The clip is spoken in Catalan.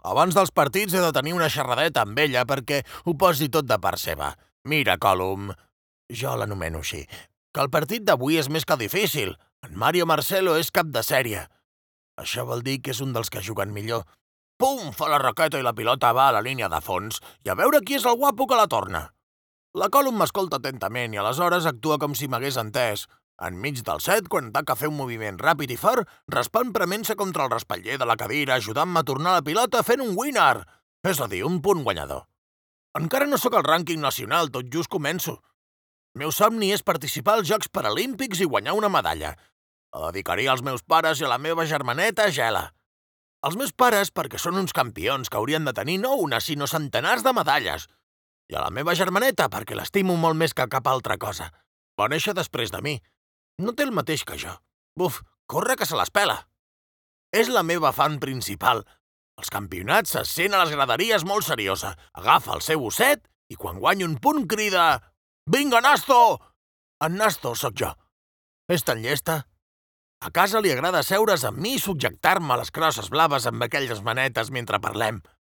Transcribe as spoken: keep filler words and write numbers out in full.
Abans dels partits he de tenir una xerradeta amb ella perquè ho posi tot de part seva. Mira, Colum, jo l'anomeno així, que el partit d'avui és més que difícil. En Mario Marcelo és cap de sèrie. Això vol dir que és un dels que juguen millor. Pum! Fa la raqueta i la pilota va a la línia de fons i a veure qui és el guapo que la torna. La Colum m'escolta atentament i aleshores actua com si m'hagués entès. Enmig del set, quan taca fer un moviment ràpid i fort, respon prement-se contra el respatller de la cadira, ajudant-me a tornar la pilota fent un winner, és a dir, un punt guanyador. Encara no sóc al rànquing nacional, tot just començo. El meu somni és participar als Jocs Paralímpics i guanyar una medalla. La dedicaria als meus pares i a la meva germaneta Gela. Els meus pares perquè són uns campions que haurien de tenir no una, sinó centenars de medalles. I a la meva germaneta perquè l'estimo molt més que cap altra cosa. Va néixer després de mi. No té el mateix que jo. Buf, corre que se les pela. És la meva fan principal. Els campionats se sent a les graderies molt seriosa. Agafa el seu osset i quan guanya un punt crida «Vinga, Nasto!». En Nasto sóc jo. És tan llesta. A casa li agrada seure's amb mi i subjectar-me les crosses blaves amb aquelles manetes mentre parlem.